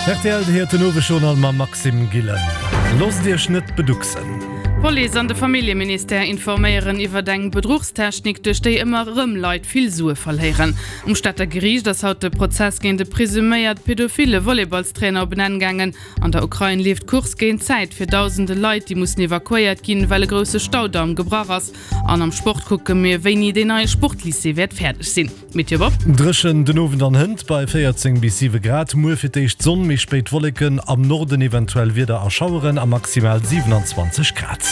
Rtl, Dir héiert den Owesjournal mam Maxime Gillen. Loosst Iech net beducksen! D'Police an de Familljeministère informéieren iwwert eng Bedruchstechnik, duerch déi ëmmer erëm Leit vill Sue verléieren. Um Stater Geriicht ass haut de Prozess géint e presuméiert pedophile Volleyballstrainer op en Enn gaangen. An der Ukrain leeft d'Course géint d'Zäit fir dausende Leit, déi mussen evakuéiert ginn, well e grousse Staudamm gebrach ass. An am Sport kucke mir, wéini deen neie Sportlycée wäert fäerdeg sinn. Météo Bob. Dréchen den Owend an hënt bei 14 bis 7 Grad. Muer fir d'éischt Sonn, méi spéit Wolleken, am Norden eventuell Wieder a Schaueren a maximal 27 Grad.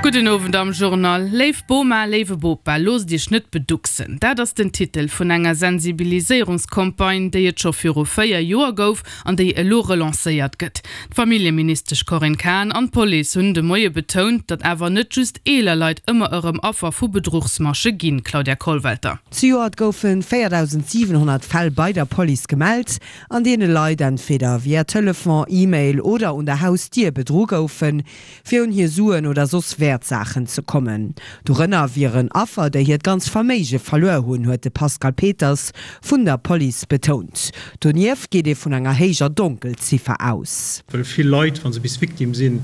Gudden Owend am Journal. Léif Boma, léiwe Bopa, loosst iech net beducksen. Dat ass den Titel vun enger Sensibiliséierungscampagne, déi et scho viru 4 Joer gouf an déi elo relancéiert gëtt. D'Familljeministesch Corinne Cahen an d'Police hunn de Moie betount, datt awer net just eeler Leit ëmmer erëm Affer vu Bedruchsmasche ginn. Claudia Kollwelter. Zejoert goufe 4.700 Fäll bei der Police gemellt, an deene Leit entweder via Telefon, E-Mail oder un der Hausdier bedru goufen, fir un hir Suen oder soss Wäertsaachen ze kommen. Dorënner wieren Affer, déi hiert ganz Verméige verluer hunn, huet de Pascal Peters vun der Police betount. Donieft geet ee vun enger héijer Donkelziffer aus. Well vill Leit, wa se bis Victime sinn,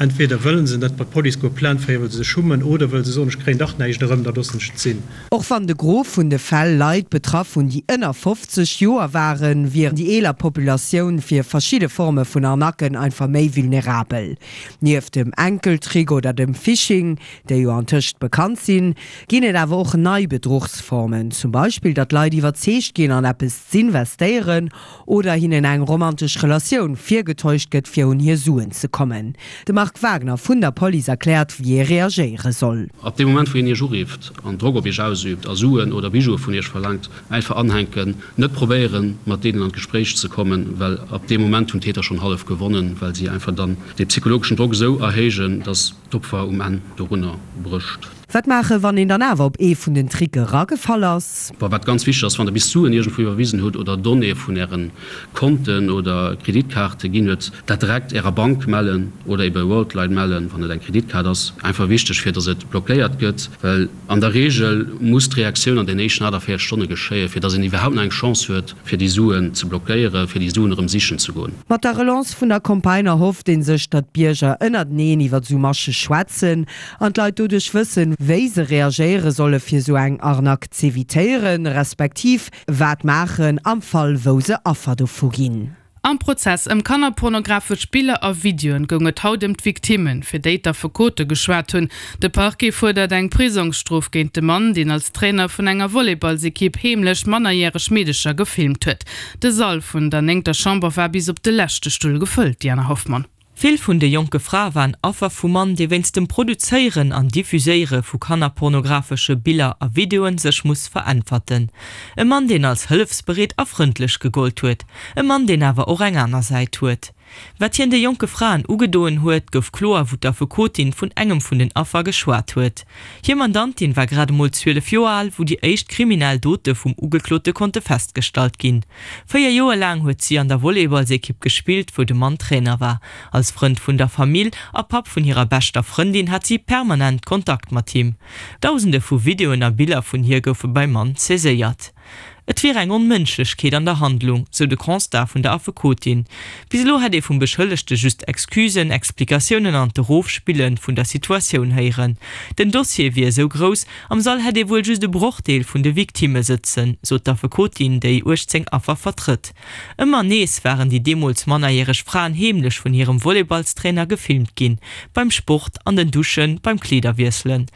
entweder wëlle se net bei d'Police goe Plainte féieren, well se sech schummen, oder wëll se soen, ech kréien dach näischt erëm, da loossen ech et sinn. Och wann de Gros vun de Fäll Leit betraff hunn, déi ënner 50 Joer waren, wier déi eeler Populatioun fir verschidde Forme vun Arnaquen einfach méi vulnerabel. Nieft dem Enkeltrick oder dem Phishing, déi jo antëscht bekannt sinn, ginn et awer och nei Bedruchsformen, zum Beispill datt Leit iwwerzeegt ginn an eppes z'investéieren oder hinnen eng romantesch Relatioun virgetäuscht gëtt, fir un hir Suen ze kommen. De Marc Wagner vun der Police erkläert, wéi ee reagéiere soll. Ab deem Moment, wou een Iech urifft an Drock op Iech ausüübt a Suen oder Bijoue vun Iech verlaangt, einfach anhänken, net probéieren, mat deenen an d'Gespréich ze kommen, well ab deem Moment hunn d'Täter schonn hallef gewonnen, well si einfach dann dee psychologeschen Drock esou erhéijen, dass d'Opfer um Enn dorunner brécht. Wat maachen, wann een dann awer op ee vun den Tricke eragefall ass? Bon, wat ganz wichteg ass, wann der bis Suen iergendwou iwwerwisen hutt oder Donnéeë vun ären Konten oder Kreditkaarte ginn huet, dat direkt ärer Bank mellen oder ebe Worldline mellen, wann et eng Kreditkaart ass. Einfach wichteg, fir dass et blockéiert gëtt, well an der Reegel muss d'Reaktioun an den éischten 48 Stonne geschéien, fir dass een iwwerhaupt nach eng Chance huet, fir déi Suen ze blockéieren, fir déi Suen erëm sichen ze goen. Mat der Relance vun der Campagne erhofft ee sech, datt d'Bierger ënnerteneen iwwer esou Masche schwätzen an d'Leit doduerch wëssen, wéi se reagéiere solle fir esou eng Arnaque z'evitéieren, respektiv wat maachen am Fall wou se Affer dovu ginn. Am Prozess ëm kannerpornografesch Biller a Videoen goung et haut ëm d'Victimmen, fir déi d'Affekote geschwat hunn. De Parquet fuerdert eng Prisongsstrof géint de Mann, deen als Trainer vun enger Volleyballsekipp heemlech mannerjäreg Meedecher gefilmt huet. De Sall vun der néngter Chamber war bis op de leschte Stull gefëllt, Diana Hoffmann. Vill vun de jonke Frae waren Affer vum Mann, dee wéinst dem Produzéieren an Diffuséiere vu kannerpornografesche Biller a Videoen sech muss veräntwerten. E Mann, deen als hëllefsbereet a frëndlech gegollt huet. E Mann, deen awer och eng aner Säit huet. Wat hien de jonke Fraen ugedoen huet, gouf kloer, wou d'Affekotin vun engem vun den Affer geschwat huet. Hir Mandantin war grad emol 12 Joer al, wou déi éischt kriminell Dote vum Ugeklote konnte festgestallt ginn. 4 Joer laang huet si an der Volleyballsekipp gespillt, wou de Mann Trainer war. Als Frënd vun der Famill a Papp vun hirer beschter Frëndin hat si permanent Kontakt mat him. Dausende vu Videoen a Biller vun hir goufe beim Mann saiséiert. Et wier eng Onmënschlechkeet an der Handlung, sou de Constat vun der Affekotin. Bis elo hätt ee vum Beschëllegte just Excusen, Explikatiounen an d'Erofspille vun der Situatioun héieren. Den Dossier wier esou grouss, am Sall hätt ee wuel just e Brochdeel vun de Victimme sëtzen, sot d'Affekotin, déi 18 Affer vertrëtt. Ëmmer nees waren déi deemools mannerjäreg Fraen heemlech vun hirem Volleyballstrainer gefilmt ginn, beim Sport, an den Duschen, beim Kleederwiesselen.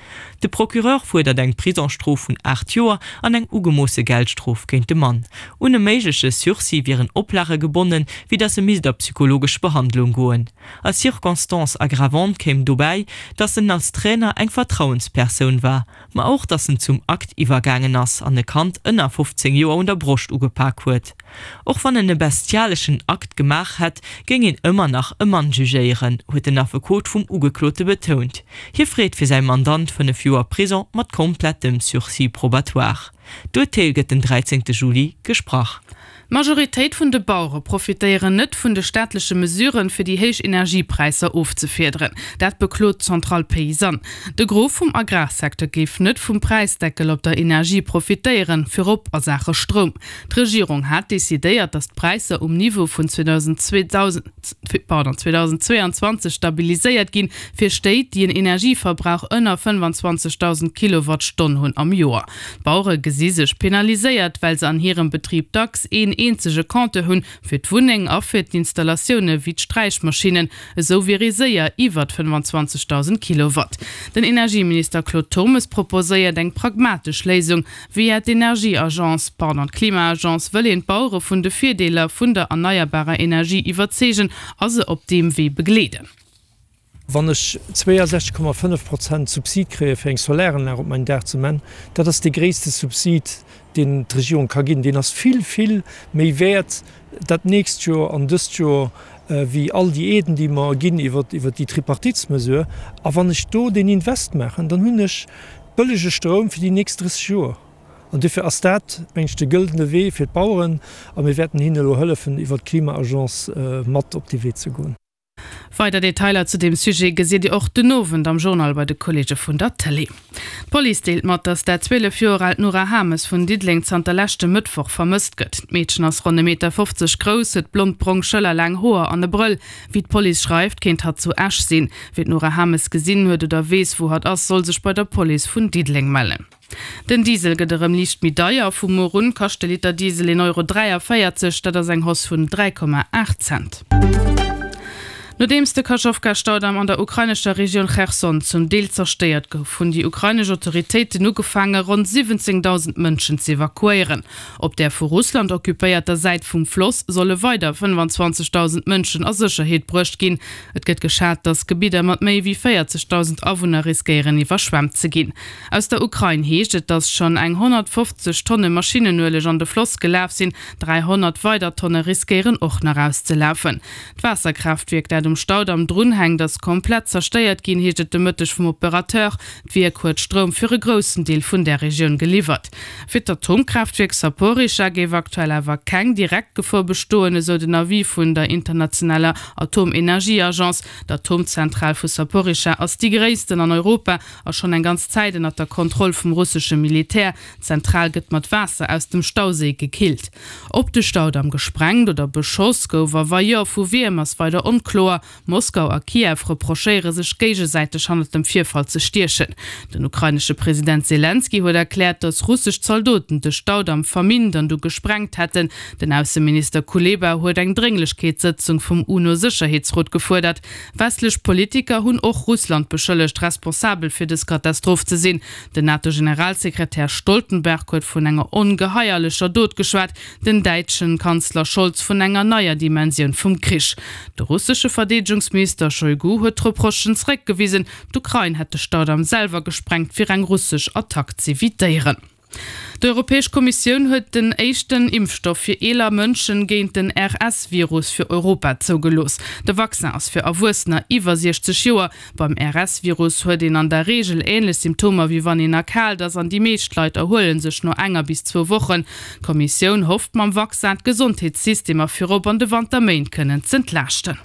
De Procureur fuerdert eng Prisongsstrof vun 8 Joer an eng ugemoosse Geldstrof géint de Mann. Un e méigleche Sursis wieren Oplage gebonnen, wéi datt e misst a psychologesch Behandlung goen. Als Circonstance aggravante kéim dobäi, datt en als Trainer eng Vertrauenspersoun war, ma och datt en zum Akt iwwergaangen ass an e Kand ënner 15 Joer un der Broscht ugepak huet. Och wann en e bestialeschen Akt gemaach hätt, géing een ëmmer nach e Mann jugéieren, huet den Affekot vum Ugeklote betount. Hie freet fir säi Mandant 5 Joer Prison mat komplettem Sursis probatoire. D'Urteel gëtt den 13 Juli gesprach. D'Majoritéit vun de Bauere profitéieren net vun de staatleche Mesuren, fir déi héich Energiepräisser ofzefiederen. Dat beklot d'Centrale Paysanne. De Gros vum Agrarsecteur géif net vum Präisdeckel op der Energie profitéieren, virop a Saache Stroum. D'Regierung hat decidéiert, datt d'Präisser um Niveau vun 2022 stabiliséiert ginn, fir Stéit, déi en Energieverbrauch ënner 25.000 Kilowattstonn hunn am Joer. D'Bauere gesi sech penaliséiert, well se an hirem Betrib dacks een eenzege Compteur hunn, fir d'Wunneng a fir d'Installatioune wéi d'Sträichmaschinnen. Esou wier ee séier iwwert 25.000 Kilowatt. Den Energieminister Claude Turmes proposéiert eng pragmatesch Léisung. Via d'Energieagence, pardon, d'Klima-Agence wëll een d'Bauere vun de Virdeeler vun der erneierbarer Energie iwwerzeegen a se op deem Wee begleeden. Wann ech 62,5 Prozent Subsid kréie fir eng Solaranlag op mäin Daach ze man, dat ass dee gréisste Subsid, deen d'Regierung ka ginn. Deen ass vill, vill méi wäert dat nächst Joer an dëst Joer wéi all déi Aiden, déi mer ginn iwwer déi Tripartitsmesure. A wann ech do deen Invest maachen, dann hunn ech bëllege Stroum fir déi nächst 30 Joer. An duerfir ass dat, meng ech, de gëldene Wee fir d'Baueren. A mir wäerten hinnen elo hëllefen, iwwer d'Klima-Agence mat op dee Wee ze goen. Weider Detailer zu deem Sujet gesitt Dir och den Owend am Journal bei de Kolleege vun der Tëlee. D'Police deelt mat, datt dat 12 Joer aalt Nora Hames vun Diddeleng zanter leschtem Mëttwoch vermësst gëtt. D'Meedchen ass ronn e Meter 50 grouss, huet blond-brong schëllerlaang Hoer an e Brëll. Wéi d'Police schreift, kéint hatt zu Esch sinn. Wien d'Nora Hames gesinn huet oder weess, wou hatt ass, soll sech bei der Police vun Diddeleng mellen. Den Diesel gëtt erëm liicht méi deier. Vu muer un kascht de Liter Diesel 1,43 Euro, dat ass eng Hausse vun 3,8 Cent. Nodeems de Kachowka-Staudamm an der ukrainescher Regioun Cherson zum Deel zerstéiert gouf, hunn déi ukrainesch Autoritéiten ugefaange ronn 17.000 Mënschen z'evakuéieren. Op där vu Russland occupéierter Säit vum Floss solle weider 25.000 Mënschen a Sécherheet bruecht ginn. Et gëtt geschat, datt Gebidder mat méi wéi 40.000 Awunner riskéieren iwwerschwemmt ze ginn. Aus der Ukrain heescht et, datt schonn eng 150 Tonne Maschinenueleg an de Floss gelaf sinn. 300 weider Tonne riskéieren och nach auszelafen. D'Waasserkraaftwierk, dat um Staudamm drunhänkt, ass komplett zerstéiert ginn, heescht et de Mëtteg vum Operateur. D'Wierk huet Stroum fir e groussen Deel vun där Regioun geliwwert. Fir d'Atomkraaftwierk Saporischschja géif aktuell awer keng direkt Gefor bestoen, esou den Avis vun der internationaler Atomenergieagence. D'Atomzentral vu Saporischschja ass déi gréissten an Europa a schonn eng ganz Zäit ënnert der Kontroll vum russesche Militär. D'Zentral gëtt mat Waasser aus dem Stauséi gekillt. Ob de Staudamm gesprengt oder beschoss gouf a wa jo, vu wiem, ass weider onkloer. Moskau a Kiew reprochéiere sech géigesäiteg hannert dem Virfall ze stiechen. Den ukrainesche President Selenskyj huet erkläert, datt russesch Zaldoten de Staudamm verminnt an du gesprengt hätten. Den Ausseminister Kuleba huet eng Drénglechkeetssëtzung vum UNO-Sécherheetsrot gefuerdert. Westlech Politiker hunn och Russland beschëllegt, responsabel fir dës Katastroph ze sinn. Den NATO-Generalsekretär Stoltenberg huet vun enger ongeheierlecher Dot geschwat, den däitschen Kanzler Scholz vun enger neier Dimensioun vum Krich. De russesche Verdeedegungsminister Shoigu huet d'Reprochen zeréckgewisen, d'Ukrain hätt de Staudamm selwer gesprengt, fir eng russesch Attack z'evitéieren. D'Europäesch Kommissioun huet den éischten Impfstoff fir eeler Mënschen géint den RS-Virus fir Europa zougelooss. De Vaccin ass fir Erwuessener iwwer 60 Joer. Beim RS-Virus huet een an der Reegel änlech Symptomer wéi wann een erkaalt ass an déi meescht Leit erhuele sech no enger bis zwou Wochen. D'Kommissioun hofft mam Vaccin d'Gesondheetssystemer virop an de Wanterméint kënnen z'entlaaschten.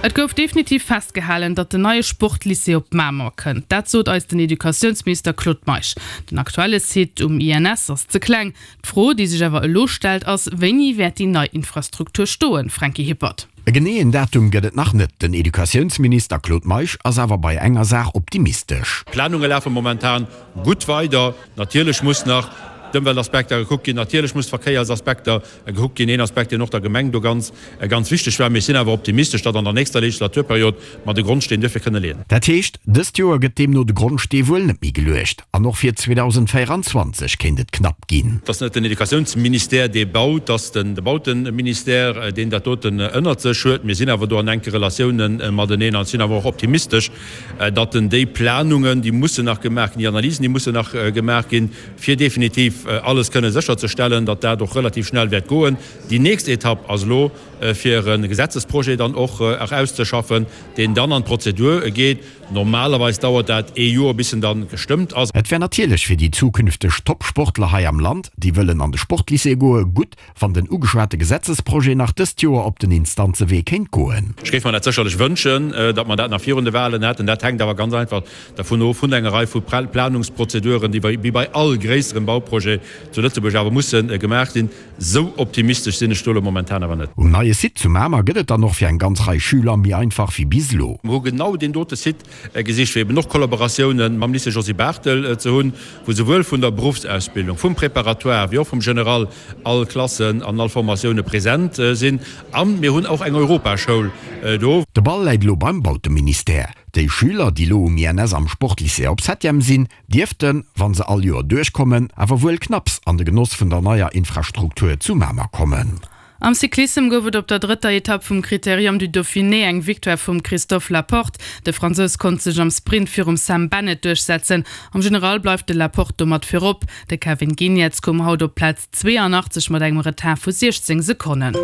Et gouf definitiv festgehalen, datt den neie Sportlycée op Mamer kënnt. Dat sot eis den Educatiounsminister Claude Meisch. Den aktuelle Site um INS ass ze kleng. D'Fro, déi sech awer elo stellt, ass, Wéini wäert déi nei Infrastruktur stoen? Franky Hippert. E geneeën Datum gëtt et nach net. Den Educatiounsminister Claude Meisch ass awer bei enger Saach optimistesch. D'Planunge lafe momentan gutt weider. Natierlech muss nach d'Ëmweltaspekter gekuckt ginn, natierlech muss d'Verkéiersaspekter gekuckt ginn, een Aspekt, deen och der Gemeng do ganz, ganz wichteg war. Mee ech sinn awer optimistesch, datt an der nächster Legislaturperiod mer de Grondsteen duerfir kënne leeën. Dat heescht, dëst Joer gëtt deemno de Grondstee wuel net méi geluecht an och fir 2024 kéint et knapp ginn. Et ass net den Educatiounsministère, dee baut, et ass de Bauteministère, deen dat doten ënnert sech huet. Mir sinn awer do an enke Relatiounen mateneen an ech sinn awer och optimistesch, datt en déi Planungen, déi mussen nach gemaach ginn, déi Analysen, déi mussen nach gemaach ginn, fir definitiv. effektiv alles kënne sécherzestellen, datt dat och relativ schnell wäert goen. Déi nächst Etapp ass elo, fir e Gesetzesprojet dann och erauszeschaffen, deen dann an d'Prozedur geet. Normalerweis dauert dat ee Joer, bis en dann gestëmmt ass. Et wär natierlech fir déi zukünfteg Top-Sportler hei am Land, déi wëllen an de Sportlycée goe, gutt, wann den ugeschwate Gesetzesprojet nach dëst Joer op den Instanzewee kéint goen. Ech géif mer dat sécherlech wënschen, datt mer dat nach virun de Wahlen hätten. Dat hänkt awer ganz einfach dervun of, vun enger Rei vu Planungsprozeduren, déi wéi bei all gréisserem Bauprojet zu Lëtzebuerg awer musse gemaach sinn. Sou optimistesch sinn ech do elo momentan awer net. Um neie Site zu Mamer gëtt et dann och fir eng ganz Rei Schüler méi einfach wéi bis elo. Mer hu genau deen dote Site gesicht, fir eben och Kollaboratioune mam Lycée Josy Barthel ze hunn, wou souwuel vun der Beruffsausbildung, vum Préparatoire wéi och vum General all Klassen an all Formatioune present sinn. A mir hunn och eng Europaschoul do. De Ball läit elo beim Bauteministère. Déi Schüler, déi elo um INS am Sportlycée op Septième sinn, dierften, wann se all Joer duerchkommen, awer wuel knapps an de Genoss vun der neier Infrastruktur zu Mamer kommen. Am Cyclissem gouf et op der drëtter Etapp vum Critérium du Dauphiné eng Victoire vum Christophe Laporte. De Fransous konnt sech am Sprint virum Sam Bennett duerchsetzen. Am General bleift de Laporte domat virop. De Kevin Geniets koum haut op d'Plaz 82 mat engem Retard vu 16 Sekonnen.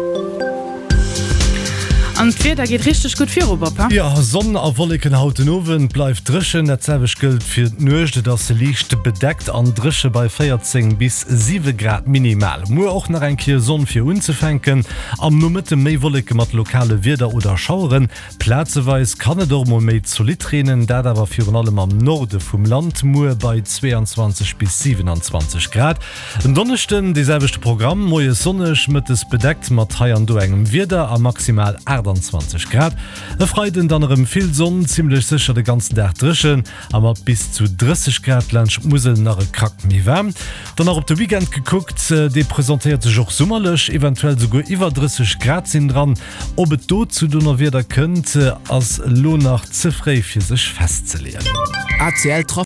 An d'Wieder geet richteg gutt viru, Bob, he? Jo, Sonn a Wolleken haut den Owend, bleift dréchen. Dat selwecht gëllt fir d'Nuecht, et ass liicht bedeckt an dréche bei 14 bis 7 Grad minimal. Muer och nach eng Kéier Sonn fir unzefänken, am Nomëtte méi Wolleke mat lokale Wieder oder Schaueren. Plazeweis kann et och mol méi zolidd reenen, dat awer virun allem am Norde vum Land, muer bei 22 bis 27 Grad. En Donneschden dee selwechte Programm, moies sonneg, mëttes bedeckt mat hei an do engem Wieder a maximal 28 Grad. E Freiden dann erëm vill Sonn, zimmlech sécher de ganzen Dag dréchen a mat bis zu 30 Grad laanscht d'Musel nach e Krack méi waarm. Dann nach op de Weekend gekuckt, dee presentéiert sech och summerlech, eventuell souguer iwwer 30 Grad sinn dran. Ob et do zu Donnerwieder kënnt, ass elo nach ze fréi fir sech festzeleeën. ACL.